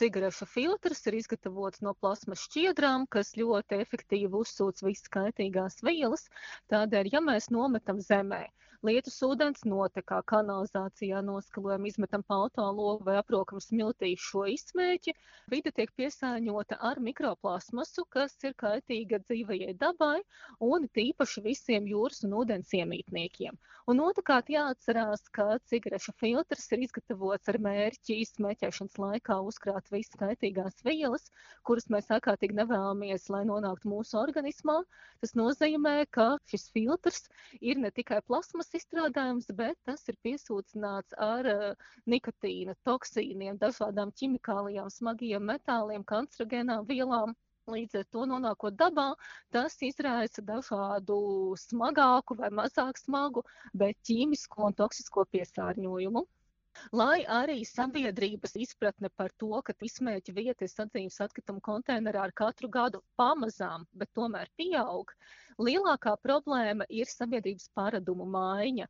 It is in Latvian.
cigarešu filtrs ir izgatavots no plasmas šķiedrām, kas ļoti efektīvi uzsūc visas kaitīgās vielas. Tādēļ, ja mēs nometam zemē lietus ūdens notekā, kanalizācijā noskalojam, izmetam pa autologu vai aprokam smiltīs šo izsmēķi, vide tiek piesārņota ar mikroplasmasu, kas ir kaitīga dzīvajai dabai un tīpaši visiem jūras un ūdens iemītniekiem. Un otrkārt jāatcerās, ka cigarešu filtrs ir izgatavots ar mērķi izsmēķēšanas laikā uzkrāt visas kaitīgās vielas, kuras mēs ārkārtīgi nevēlamies, lai nonāktu mūsu organismā. Tas nozīmē, ka šis filtrs ir ne tikai plasmas izstrādājums, bet tas ir piesūcināts ar nikotīna, toksīniem, dažādām ķimikālijām, smagiem metāliem, kancerogēnām vielām. Līdz ar to nonākot dabā, tas izraisa dažādu smagāku vai mazāk smagu, bet ķīmisko un toksisko piesārņojumu. Lai arī sabiedrības izpratne par to, ka izsmēķa vieta ir sadzīves atkritumu konteinerā ar katru gadu pamazām, bet tomēr pieaug, lielākā problēma ir sabiedrības paradumu maiņa.